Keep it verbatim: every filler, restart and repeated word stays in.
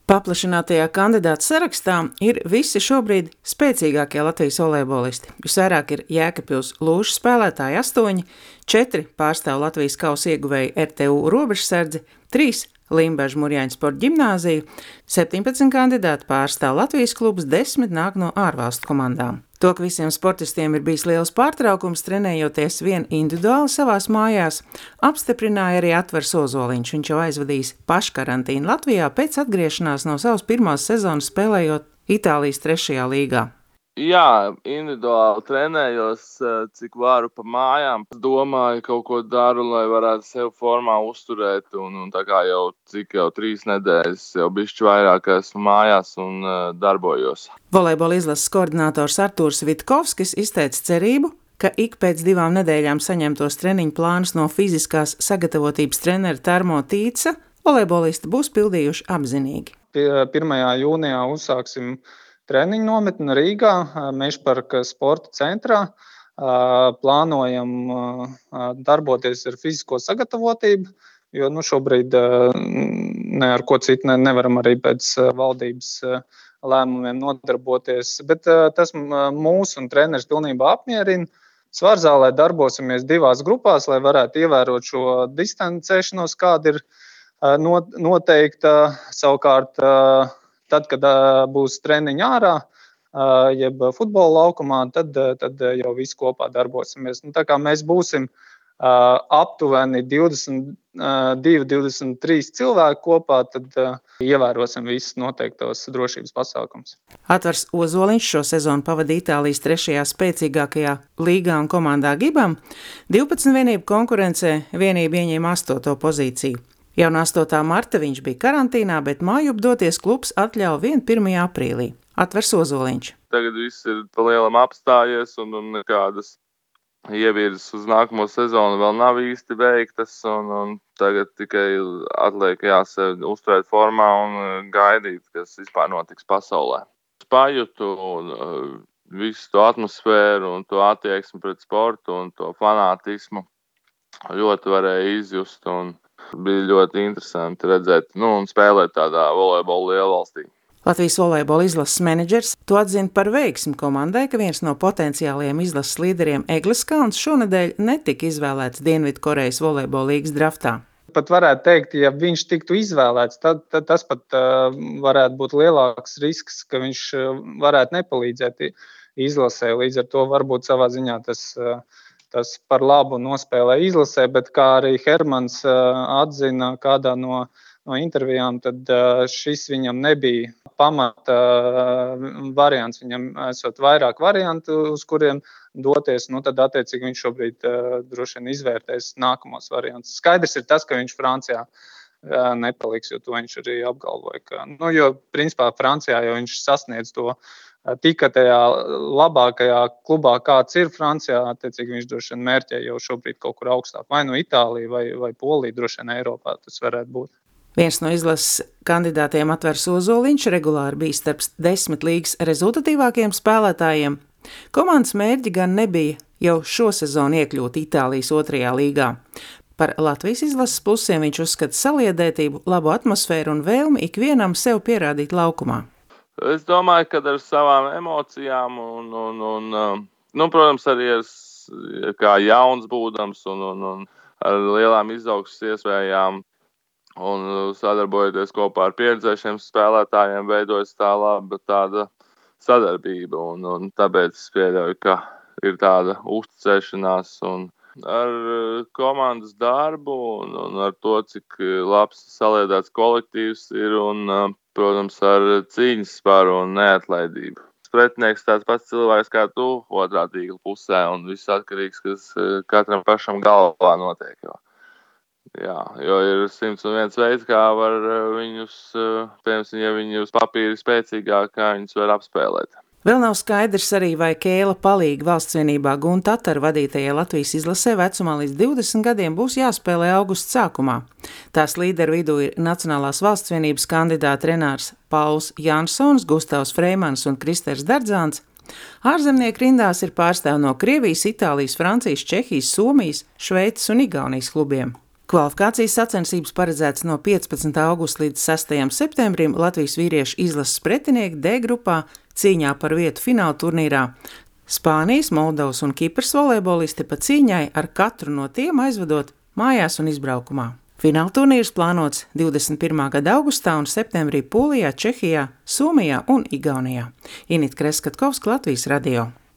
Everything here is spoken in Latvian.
Paplašinātajā kandidātu sarakstā ir visi šobrīd spēcīgākie Latvijas volejbolisti. Visvairāk ir Jēkabpils Lūžu spēlētāji astoņi, četri pārstāv Latvijas kausa ieguvēju R T U Robežsardzi, trīs Limbažu Murjāņu sporta ģimnāziju, septiņpadsmit kandidāti pārstāv Latvijas klubus, desmit nāk no ārvalstu komandām. To, ka visiem sportistiem ir bijis liels pārtraukums, trenējoties vien individuāli savās mājās, apstiprināja arī Atvars Ozoliņš. Viņš jau aizvadījis paškarantīnu Latvijā pēc atgriešanās no savas pirmās sezonas spēlējot Itālijas trešajā līgā. Jā, individuāli trenējos, cik varu pa mājām. Domāju, kaut ko daru, lai varētu sevi formā uzturēt. Un, un tā kā jau cik jau trīs nedēļas, jau bišķi vairāk esmu mājās un uh, darbojos. Volejbola izlases koordinators Artūrs Vitkovskis izteica cerību, ka ik pēc divām nedēļām saņemtos treniņu plānus no fiziskās sagatavotības trenera Tarmo Tīca volejbolisti būs pildījuši apzinīgi. pirmajā jūnijā uzsāksim treniņu nometni Rīgā, Mežparka sporta centrā. Plānojam darboties ar fizisko sagatavotību, jo nu, šobrīd ne ar ko citu nevaram arī pēc valdības lēmumiem nodarboties. Bet tas mūs un treneris pilnībā apmierina. Svarzālē darbosimies divās grupās, lai varētu ievērot šo distancēšanos, kāda ir noteikta. Savukārt, tad, kad būs treniņi ārā, jeb futbola laukumā, tad, tad jau visi kopā darbosimies. Nu, tā kā mēs būsim aptuveni divdesmit divi, divdesmit trīs cilvēki kopā, tad ievērosim visus noteiktos drošības pasākumus. Atvars Ozoliņš šo sezonu pavadīja Itālijas trešajā spēcīgākajā līgā un komandā Gibam. divpadsmit vienību konkurencē vienība ieņēma astoto pozīciju. Jau no astotā marta viņš bija karantīnā, bet mājup doties klubs atļauj vien pirmajā aprīlī. Atvars Ozoliņš. Tagad viss ir pa lielam apstājies un, un nekādas ievirzes uz nākamo sezonu vēl nav īsti veiktas. Un, un tagad tikai atliek jāsevi uzturēt formā un gaidīt, kas vispār notiks pasaulē. Pajūtu un uh, visu to atmosfēru un to attieksmi pret sportu un to fanātismu ļoti varēja izjust. Un bija ļoti interesanti redzēt nu, un spēlēt tādā volejbola lielvalstī. Latvijas volejbola izlases menedžers to atzina par veiksmi komandai, ka viens no potenciālajiem izlases līderiem Eglis Kalns šonedēļ netika izvēlēts Dienvidkorejas volejbola līgas draftā. Pat varētu teikt, ja viņš tiktu izvēlēts, tad, tad tas pat uh, varētu būt lielāks risks, ka viņš uh, varētu nepalīdzēt izlasē. Līdz ar to varbūt savā ziņā tas uh, Tas par labu nospēlē izlasē, bet kā arī Hermans atzina kādā no, no intervijām, tad šis viņam nebija pamata variants. Viņam esot vairāk variantu, uz kuriem doties, nu tad attiecīgi viņš šobrīd droši vien izvērtēs nākamos variantus. Skaidrs ir tas, ka viņš Francijā nepaliks, jo to viņš arī apgalvoja. Ka, nu, jo principā Francijā jau viņš sasniedz to tika tajā labākajā klubā, kāds ir Francijā, attiecīgi viņš droši vien mērķē jau šobrīd kaut kur augstāk. Vai no Itālija, vai, vai Polija, droši vien Eiropā tas varētu būt. Viens no izlases kandidātiem Atvars Ozoliņš regulāri bija starp desmit līgas rezultatīvākajiem spēlētājiem. Komandas mērķi gan nebija jau šo sezonu iekļūt Itālijas otrajā līgā. Par Latvijas izlases plusiem viņš uzskata saliedētību, labu atmosfēru un vēlmi ikvienam sev pierādīt laukumā. Es domāju, ka ar savām emocijām un, un, un nu, protams, arī ar, kā jauns būdams un, un, un ar lielām izaugsmes iespējām un sadarbojoties kopā ar pieredzējušiem spēlētājiem veidojas tā laba tāda sadarbība. Un, un tāpēc es pieļauju, ka ir tāda uzticēšanās un ar komandas darbu un, un ar to, cik labs saliedēts kolektīvs ir un protams, ar cīņas spāru un neatlaidību. Pretinieks tāds pats cilvēks kā tu otrā tīkla pusē un viss atkarīgs, kas katram pašam galvā notiek. Jo, jā, jo ir simts un viens veids, kā var viņus, piemēram, ja viņi uz papīra spēcīgāk, kā viņus var apspēlēt. Vēl nav skaidrs arī, vai Kēla palīgi valsts vienībā Gunta Tataru vadītajai Latvijas izlasē vecumā līdz divdesmit gadiem būs jāspēlē augusta sākumā. Tās līderu vidū ir Nacionālās valsts vienības kandidāti Renārs Pauls Jansons, Gustavs Freimans un Kristers Dardzāns. Ārzemnieku rindās ir pārstāvi no Krievijas, Itālijas, Francijas, Čehijas, Somijas, Šveices un Igaunijas klubiem. Kvalifikācijas sacensības paredzētas no piecpadsmitā augusta līdz sestajam septembrim Latvijas vīriešu izlases pretinieki D grupā cīņā par vietu fināla turnīrā. Spānijas, Moldovas un Kipras volejbolisti pa cīņai ar katru no tiem aizvedot mājās un izbraukumā. Fināla turnīrs plānots divdesmit pirmā gada augustā un septembrī Polijā, Čehijā, Somijā un Igaunijā. Inita Kreskatkovska, Latvijas radio.